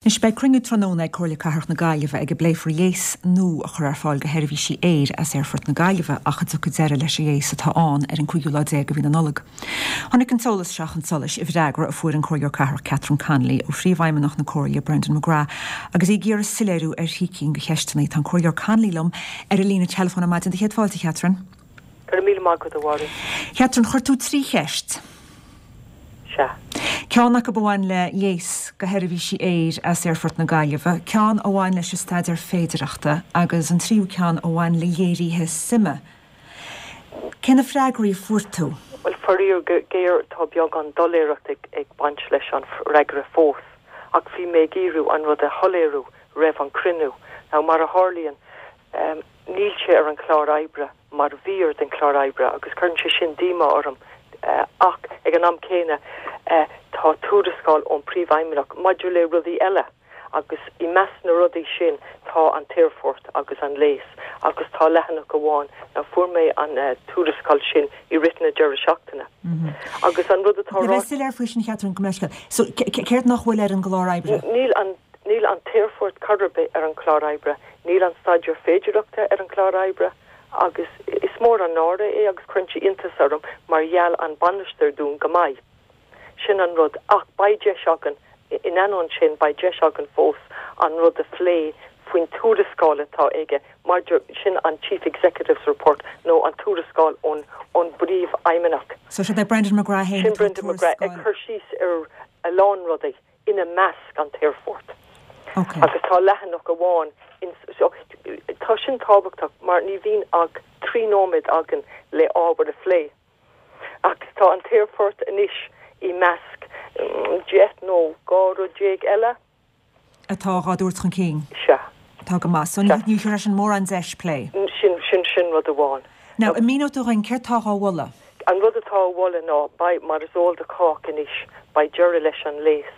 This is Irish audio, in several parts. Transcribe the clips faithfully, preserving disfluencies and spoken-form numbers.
Anois beidh cruinniú tráthnóna ag Comhairle Cathrach na Gaillimhe ag a bpléifear léas nua a chur ar fáil do sheirbhísí aeir as Aerfort na Gaillimhe ach a dtiocfaidh deireadh leis an léas atá ann ar an cúigiú lá déag de mhí na Nollag. Tháinig an t-eolas seo chun solais i bhfreagra a fuair an Comhairleoir Cathrach Catherine Connolly ó phríomhfheidhmeannach na Comhairle Brendan McGrath agus í ag iarraidh soiléiriú ar thrí cinn de cheisteanna. Tá an Comhairleoir Connolly liom ar an líne teileafóin ar maidin do chéad fáilte Catherine. Go míle maith agat a Mháire. Catherine chuir tú trí cheist. Sea. Ceann acu a bhain le léas do sheirbhísí aeir as Aerfort na Gaillimhe, ceann a bhain leis an staidéar féidearthachta agus an tríú ceann a bhain le léirithe suime. Cé na freagraí a fuair tú? Well faraor géar tá beagán doiléireacht ag, ag baint leis an fhreagra fós, ach bhí mé ag iarraidh an rud a shoiléiriú roimh an cruinniú. Now mar a tharlaíonn um, níl sé ar an chlár oibre mar mhír den chlár oibre agus cuireann sé sin díomá orm uh, ach ag an am céanna uh, tá tuarascáil ón príomhfheidhmeannach maidir le rudaí eile agus i measc na rudaí sin tá an t-aerfort agus an léas agus tá leathanach amháin na fuair mé an uh, tuarascáil sin i rith na deireadh seachtaine. Mm -hmm. Agus an rud atá Le faoi sin Catherine go meisce. So céard nach bhfuil ar an gclár oibre? Níl an níl an t-aerfort chor ar bith ar an chlár oibre, níl an staidéar féidearthachta ar an chlár oibre, agus is mór an náire é agus cuireann sé iontas orm mar gheall an bainisteoir dúinn go maith. Sin an rud ach beidh deis againn in ainneoin sin beidh deis againn fós an rud a phlé faoin tuarascáil atá aige maidir sin an Chief Executive's Report nó an tuarascáil ón ón bpríomhfheidhmeannach. So sé Brendan McGrath sin Brendan McGrath ag cur síos ar a lán rudaí ina measc an t-aerfort. Okay. Agus tá leathanach amháin so, tá sin tábhachtach mar ní bhíonn ach trí nóiméad againn le ábhar a phlé. Agus tá an t-aerfort anois i measc mm, deich nó dhá rud déag eile. Atá á dtabhairt chun cinn. Sea. Tá go maith, so ní leis an mórán deis plé. Sin sin sin rud amháin. Now an míneoidh tú dúinn céard atá á mholadh. An rud atá á mholadh ná beidh mar is eol do chách anois beidh deireadh leis an léas.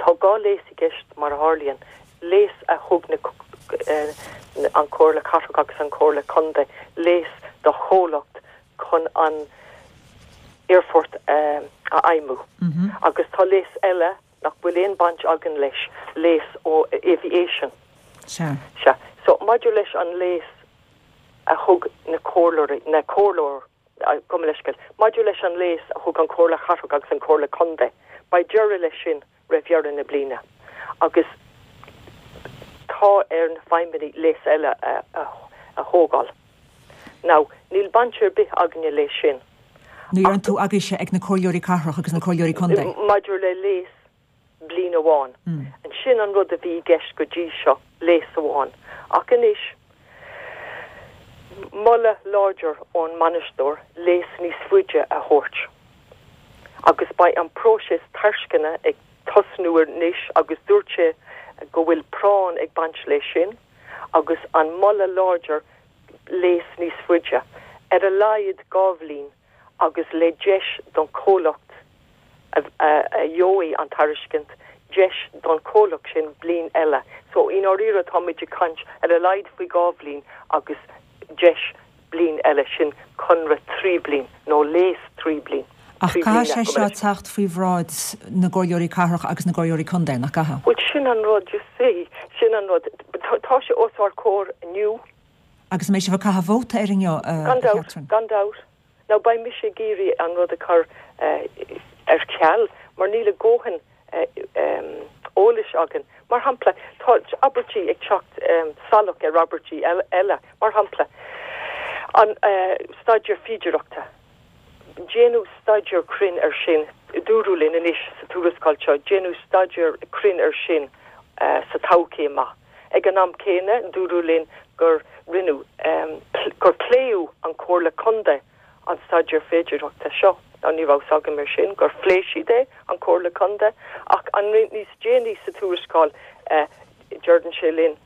Tá dhá léas i gceist mar a tharlaíonn, léas a thug na eh, an Chomhairle Cathrach agus an Chomhairle Contae léas do chomhlacht chun an aerfort um, a fheidhmiú. Mm -hmm. Agus tá léas eile nach bhfuil aon baint againn leis léas ó aviation. Sea. Sea. So maidir leis an léas a thug na comhairleoirí na comhairleoir gabh mo leithscéal. Maidir leis an léas a thug an Chomhairle Cathrach agus an Chomhairle Contae, beidh deireadh leis sin roimh dheireadh na bliana. Agus tá ar na feidhmeannaigh léas eile a, a, a thógáil. Now, níl baint ar bith againne leis sin. Ní an tú agaibhse ag na comhairleoirí cathrach agus na comhairleoirí contae. Maidir le léas bliain amháin. Mm. An sin an rud a bhí i gceist go dtí seo léas amháin. Ach anois moladh láidir ón mbainisteoir léas níos faide a thabhairt. Agus beidh an próiseas tairisceana ag tosnú anois agus dúirt sé go bhfuil práinn ag baint leis sin, agus an moladh láidir léas níos faide ar a laghad dhá bhliain agus le deis don chomhlacht a, a, a gheobhaidh an tairiscint deis don chomhlacht sin bliain eile. So in áirithe táimid ag caint ar a laghad faoi dhá bhliain agus deis bliain eile sin conradh trí bliana nó léas trí bliana. Ach caithfidh sé seo teacht faoi bhráid na gcomhairleoirí cathrach agus na gcomhairleoirí contae nach gcaithfidh. Well sin an rud you see sin an rud tá sé os ár gcomhair inniu. Agus mé se bh caitheamh vóta ar inniu gan dabht gan dabht. Now beidh mise ag iarraidh an rud a chur uh, ar ceal mar níl a ndóthain uh, um, eolais againn. Mar shampla tá abairtí ag teacht um, salach ar abairtí eile mar shampla an uh, staidéar féidearthachta. Déanadh staidéar cruinn ar sin dúradh linn anois sa tuarascáil seo, déanadh staidéar cruinn ar sin uh, sa todhchaí amach. Ag an am céanna dúradh linn gur rinneadh um, gur pléadh an Chomhairle Contae an staidéar féidearthachta seo. Ná ní raibh agam mar sin gur phléigh siad é an Chomhairle Contae ach an níos déanaí sa tuarascáil uh, deireann sé linn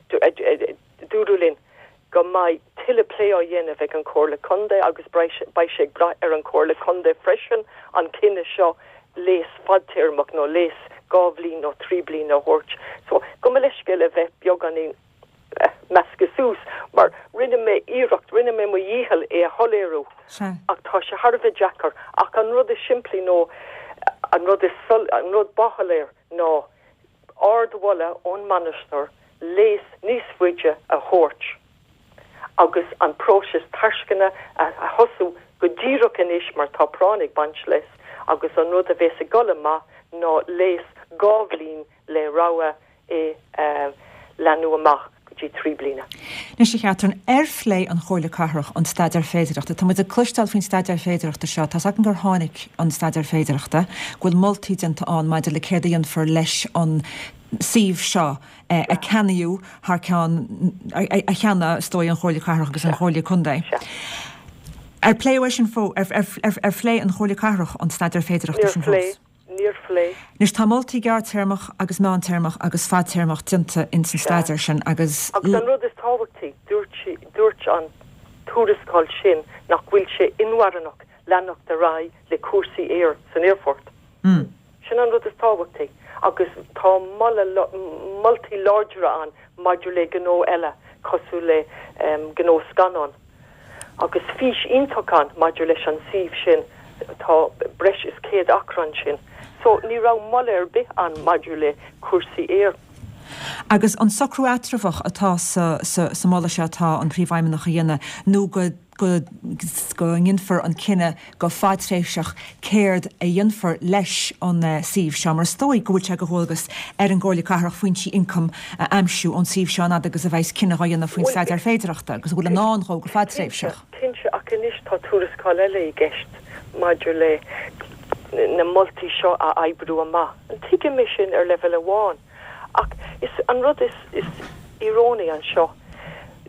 dúradh linn go mbeidh tuilleadh plé á dhéanamh ag an Chomhairle Contae agus beidh sé ag brath ar an Chomhairle Contae freisin an cinneadh seo léas fadtéarmach nó léas dhá bhliain nó trí bliana a thabhairt. So gabh mo leithscéal a bheith beagáinín measctha suas mar rinne mé iarracht rinne mé mo dhícheall é a shoiléiriú ach tá sé thar a bheith deacair ach an rud is simplí nó an rud is an rud ba shoiléir ná ardmholadh ón mbainisteoir léas níos faide a thabhairt agus an próiseas tairisceana a thosú go díreach anois mar tá práinn ag baint leis agus an rud a bheas ag dul amach ná léas dhá bhliain le rogha é a leathnú amach go dtí trí bliana. Anois a Chatherine, ar phléigh an Chomhairle Cathrach an staidéar féidearthachta? Tá muid ag cloisteáil faoin staidéar féidearthachta seo. Tá's againn gur tháinig an staidéar féidearthachta, go bhfuil moltaí déanta ann maidir le céard a dhéanfar leis an suíomh seo a ceannaíodh thar ceann, a cheannaigh, is dóigh, an Chomhairle Cathrach agus an Chomhairle Contae. Ar pléadh é sin fós, ar phléigh an Chomhairle Cathrach an staidéar féidearthachta sin fós? Níor phléigh. Anois tá moltaí gearrtéarmach agus meántéarmach agus fadtéarmach déanta ins an staidéar sin agus. Agus an rud is tábhachtaí, dúirt sí, dúirt an tuarascáil sin nach bhfuil sé inmharthanach leanacht ar aghaidh le cúrsaí aeir san aerfort. Sin an rud is tábhachtaí agus tá moladh, moltaí láidre ann maidir le gnó eile cosúil le gnó scannán. Agus fís iontach ann maidir leis an suíomh sin, tá breis is céad acra ansin. So ní raibh moladh ar bith ann maidir le cúrsaí aeir. Agus an socrú eatramhach atá sa sa moladh seo atá an Príomhfheidhmeannach a dhéanamh nó go go go ndéanfar an cinneadh go fadtréimhseach céard a dhéanfar leis an suíomh seo, mar is dóigh go bhfuil sé de dhualgas ar an gComhairle Cathrach foinsí ioncaim a aimsiú ón suíomh seo an fhad agus a bheas cinneadh á dhéanamh faoin staidéar féidearthachta agus a bhfuil i ndán dhó go fadtréimhseach. Cinnte, ach anois tá tuarascáil eile i gceist maidir le na moltaí seo a oibriú amach. Tuigim é sin ar leibhéal amháin, ach is an rud is is íorónaí anseo,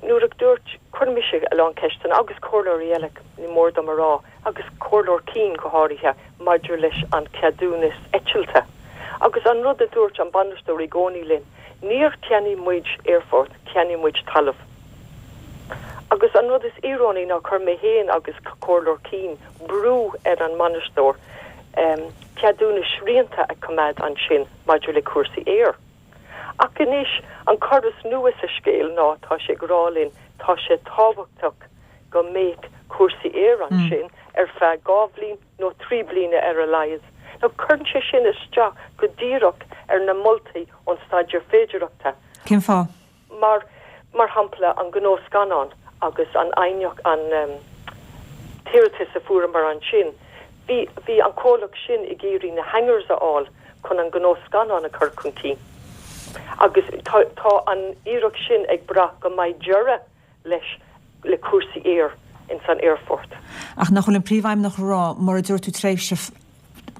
nuair a dúirt, chuir mise a lán ceisteanna agus comhairleoirí eile, ní mór dom a rá, agus Comhairleoir Keane go háirithe, maidir leis an ceadúnas eitilte. Agus an rud a dúirt an bainisteoir i gcónaí linn, níor cheannaigh muid aerfort, cheannaigh muid talamh. Agus an rud is íorónaí ná chuir mé féin agus Comhairleoir Keane brú ar an mbainisteoir ceadúnas srianta a choimeád ansin maidir le cúrsaí aeir. Ach anois, an cor is nua sa scéal ná tá sé ag rá linn, tá sé tábhachtach go mbeadh cúrsaí aeir ansin ar feadh dhá bhliain nó trí bliana ar a laghad. Now cuireann sé sin isteach go díreach ar na moltaí ón staidéar féidearthachta. Cén fáth? Mar, mar shampla, an gnó scannán agus an aighneacht, an t-iarratas a fuaireamar ansin, bhí, bhí an comhlacht sin ag iarraidh na hangars a fháil chun an gnó scannán a chur chun cinn. Agus tá, tá an iarracht sin ag brath go mbeidh deireadh leis, le cúrsaí aeir ins an aerfort. Ach nach bhfuil an Príomhfheidhmeannach ag rá, mura dtabharfaidh tú tréimhse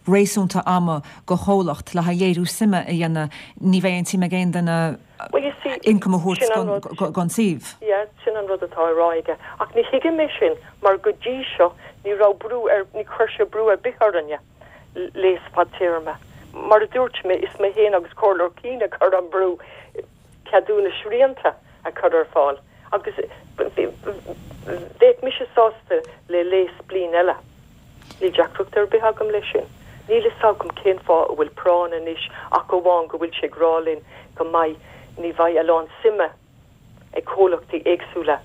réasúnta ama do chomhlacht le haghaidh léiriú suime a dhéanamh, ní bheidh aon tsuim ag aon duine Well you see, ioncam a thabhairt sin an rud. don suíomh. Yeah, sin an rud atá á rá aige. Ach ní thuigim é sin mar go dtí seo ní raibh brú ar, ní chuir sé brú ar bith orainne léas fadtéarma. Mar a dúirt mé, is mé féin agus Comhairleoir Keane a chuir an brú ceadúnas srianta a chur ar fáil agus bheadh mise sásta le léas bliain eile. Níl deacracht ar bith agam leis sin. Níl fhios agam cén fáth a bhfuil práinn anois ach amháin go bhfuil sé ag rá linn go mbeidh, ní bheidh a lán suime ag comhlachtaí éagsúla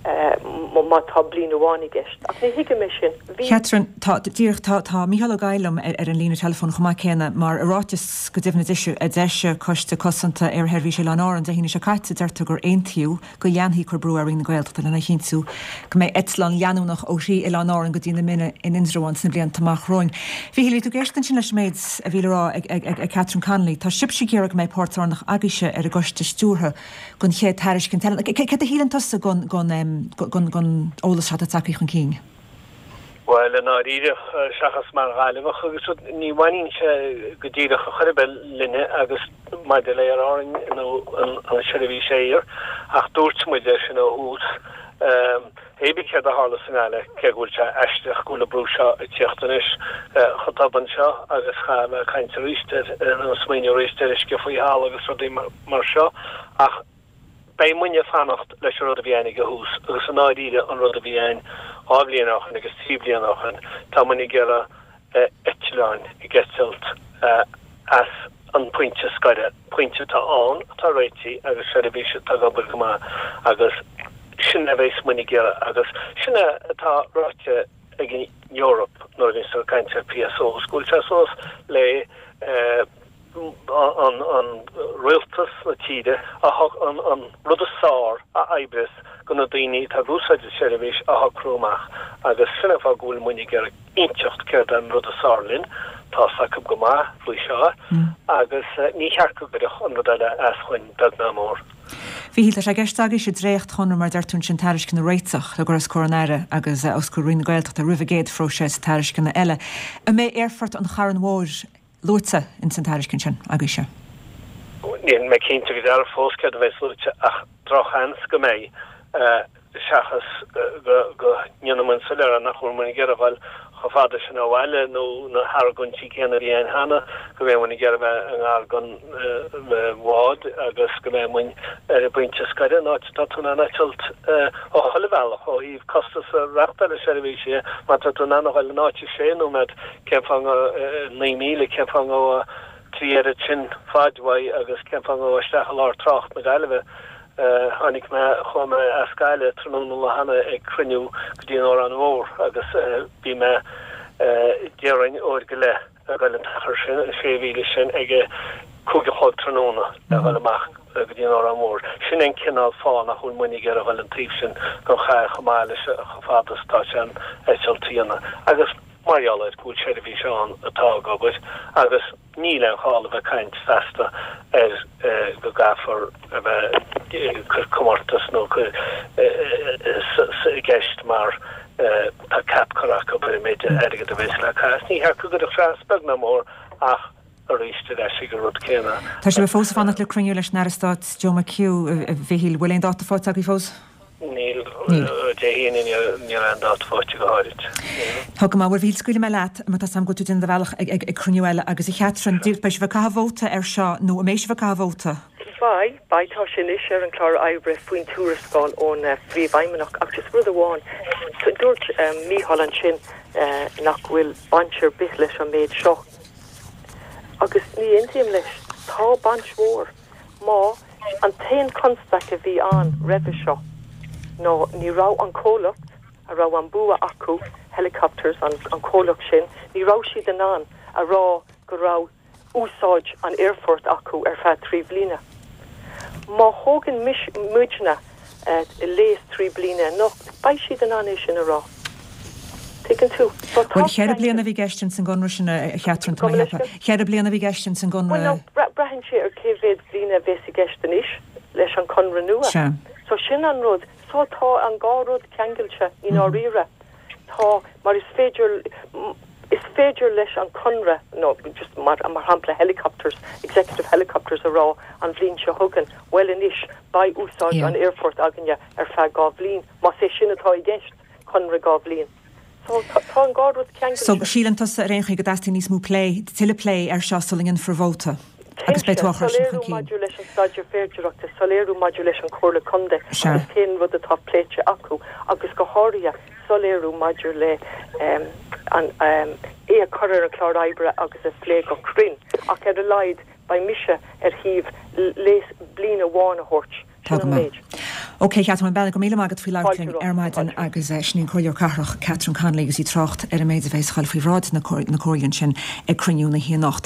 má tá bliain amháin i gceist. Ach ní thuigim é sin. Bhí. Catherine, Tá, díreach, tá, tá Mícheál Ó Gabhla liom ar an líne teileafóin chomh maith céanna mar i ráiteas go deimhin a d'eisigh Coiste Cosanta Aersheirbhíse Oileáin Árann Dé hAoine seo caite deirtear gur aontaíodh go leanfaí cur brú ar Roinn na Gaeltachta lena chinntiú go mbeidh eitleán leanúnach ó thrí Oileán Árann go dtí na Minna in Indreabhán sna blianta amach romhainn. Mhíchíl, bhí tú ag éisteacht ansin leis an méid a bhí le rá ag, ag, ag Catherine Connolly. Tá sibhse ag iarraidh go mbeidh páirt lárnach agaibhse ar an gcoiste stiúrtha don chéad tairiscint eile. Céard a shíleann tusa den, den, den, den eolas seo atá tagtha chun cinn? Bhuel, i ndáiríre, seachas mar Ghaillimheach agus rud, ní bhaineann sé go díreach ar chor ar bith linne agus maidir le Aer Árainn nó an tseirbhís aeir, ach dúirt muid é sin ó thús, hé bith céard a tharla sa nGaillimh, cé go bhfuil sé aisteach go bhfuil an brú seo ag tíocht anois chomh tobann seo agus chaithfidh mé caint arís ar, nó smaoineamh arís ar uisce faoi thalamh agus rudaí mar seo, ach. Beidh muidne ag fanacht leis an rud a bhí againn ag an thús agus i ndáiríre an rud a bhí againn dhá bhliain ó shin agus trí bliana ó shin, tá muidne ag iarraidh eitleáin ag eitilt as an pointe scoire, pointe atá ann, atá réitithe agus seirbhís atá ag obair go maith agus sin a bheas muidne ag iarraidh agus sin é atá ráite ag an Eoraip nuair a bhíonn siad ag caint ar PSOs, go bhfuil sé suas le an an rialtas na tíre a an an rud is fearr a oibreos do na daoine atá ag úsáid an seirbhís a shocrú amach agus sin an fáth go bhfuil muid ag iarraidh inseacht céard an rud is fearr linn, tá 's acu go maith faoi seo agus ní cheart go gcuirfeadh an rud eile as chugainn beag ná mór. Mhíchíl, tá sé i gceist agaibhse dréachtchonradh mar deir tú ansin tairisceana a réiteach le cur os comhair an Aire agus os comhair Roinn na Gaeltachta roimh an gcéad phróiseas tairisceana eile. An mbeidh Aerfort an Chairn Mhóir luaite ins an tairiscint sin agaibhse? Níl mé cinnte go dearfa fós céard a bheas luaite ach drochsheans go mbeidh, seachas go ndéanfaidh muid soiléir nach bhfuil muid ag iarraidh a dhul chomh fada sin ó bhaile nó na hargóintí céanna a bhí ann cheana, go mbeidh muid ag iarraidh a bheith i ngar don bhád agus go mbeidh muid ar an bpointe scoir an áit atá tú in ann eitilt ó chuile bhealach ó thaobh costas reáchtáil na seirbhíse má tá tú in ann a dhul in áit i sé nóiméad cén fáth naoi míle cén fáth go trí oiread sin faid uaidh agus cén fáth go isteach i lár trácht na Gaillimhe. Tháinig mé, chuaigh mé as Gaillimh tráthnóna an lá cheana ag cruinniú go dtí an Órán Mhór agus bhí mé déarfainn uair go leith ag dul an t-achar sin, an sé mhíle sin, ag a cúig a chlog tráthnóna le dhul amach go dtí an Órán Mhór. Sin an cineál fáth nach bhfuil muid ag iarraidh a dhul an taobh sin den chathair chomh maith leis chomh fada is atá sé an eitilt a dhéanamh. Agus mar gheall ar go bhfuil seirbhís ann atá ag obair agus níl aon chall a bheith ag caint feasta ar go gcaithfear a bheith ag cur comórtas nó cur i gceist mar tá cap curtha acu ar an méid airgead a bheas le caitheamh. Ní cheart go gcuirfeadh sé as beag ná mór ach arís ar ais ag an rud céanna. Tá sibh fós ag fanacht le cruinniú leis an Aire Stáit Joe McHugh, a Mhichíl. Bhfuil aon dáta faighte agaibh fós? Níl. Dé hAoine ní raibh aon dáta faighte go háirid. Tá go maith. Bhuel, a Mhichíl, scaoilfidh mé leat mar tá 's agam go bhfuil tú ag déanamh do bhealach ag cruinniú eile agus a Chatherine, beidh sibh ag caitheamh vóta air seo nó an mbeidh sibh ag caitheamh vóta? Beidh, beidh. Tá sé anois ar an chlár oibre faoin tuarascáil ón Phríomhfheidhmeannach ach just rud amháin, dúirt Mícheál ansin nach bhfuil baint ar bith leis an méid seo agus ní aontaím leis. Tá baint mhór. Má, an t-aon constaic a bhí ann roimhe seo ná ní raibh an comhlacht a raibh an bua acu, Helicopters, an comhlacht sin, ní raibh siad in ann a rá go raibh úsáid an aerfoirt acu ar feadh trí bliana. Má thógann muidne léas trí bliana anocht, beidh siad in ann é sin a rá. Tuigeann tú? So tá Bhuel, cheithre bliana a bhí i gceist ins an gconradh sin, a Chatherine, tá mé a cheapadh. Cheithre bliana a bhí i gceist ins an Bhuel, gconradh. no, braitheann sé ar cé mhéad bliain a bheas i gceist anois leis an conradh nua. Sea. So sin an rud. So tá an dhá rud ceangailte i ndáiríre. Tá, mar is féidir, is féidir leis an conradh, nó just mar, mar shampla Helicopters, Executive Helicopters a rá an bhliain seo chugainn, bhuel anois beidh úsáid Yeah. an aerfoirt againne ar feadh dhá bhliain, más é sin atá i gceist. Conradh dhá bhliain. So tá an dhá rud So ceangailte. síleann tusa ar aon chaoi go dteastaíonn níos mó plé, tuilleadh plé air seo sula ndéanfar vóta agus beidh Cinnte, tú á chur sin chun soiléiriú cinn. maidir leis an staidéar féidearthachta, soiléiriú maidir leis an Chomhairle Contae Sea. agus cén rud atá pléite acu agus go háirithe soiléiriú maidir le an é a chur ar an chlár oibre agus a phlé go cruinn ach ar a laghad beidh mise ar thaobh léas bliain amháin a thabhairt. Tá Sin go an maith. méid. Ok, Catherine, bhuel go raibh míle maith agat faoi labhairt Fáilte linn romhat. ar maidin Fáilte. agus sin í an Comhairleoir Cathrach Catherine Connolly agus í ag trácht ar an méid a bheas ag dul faoi bhráid na Comhairle ansin ag cruinniú na hAoine anocht.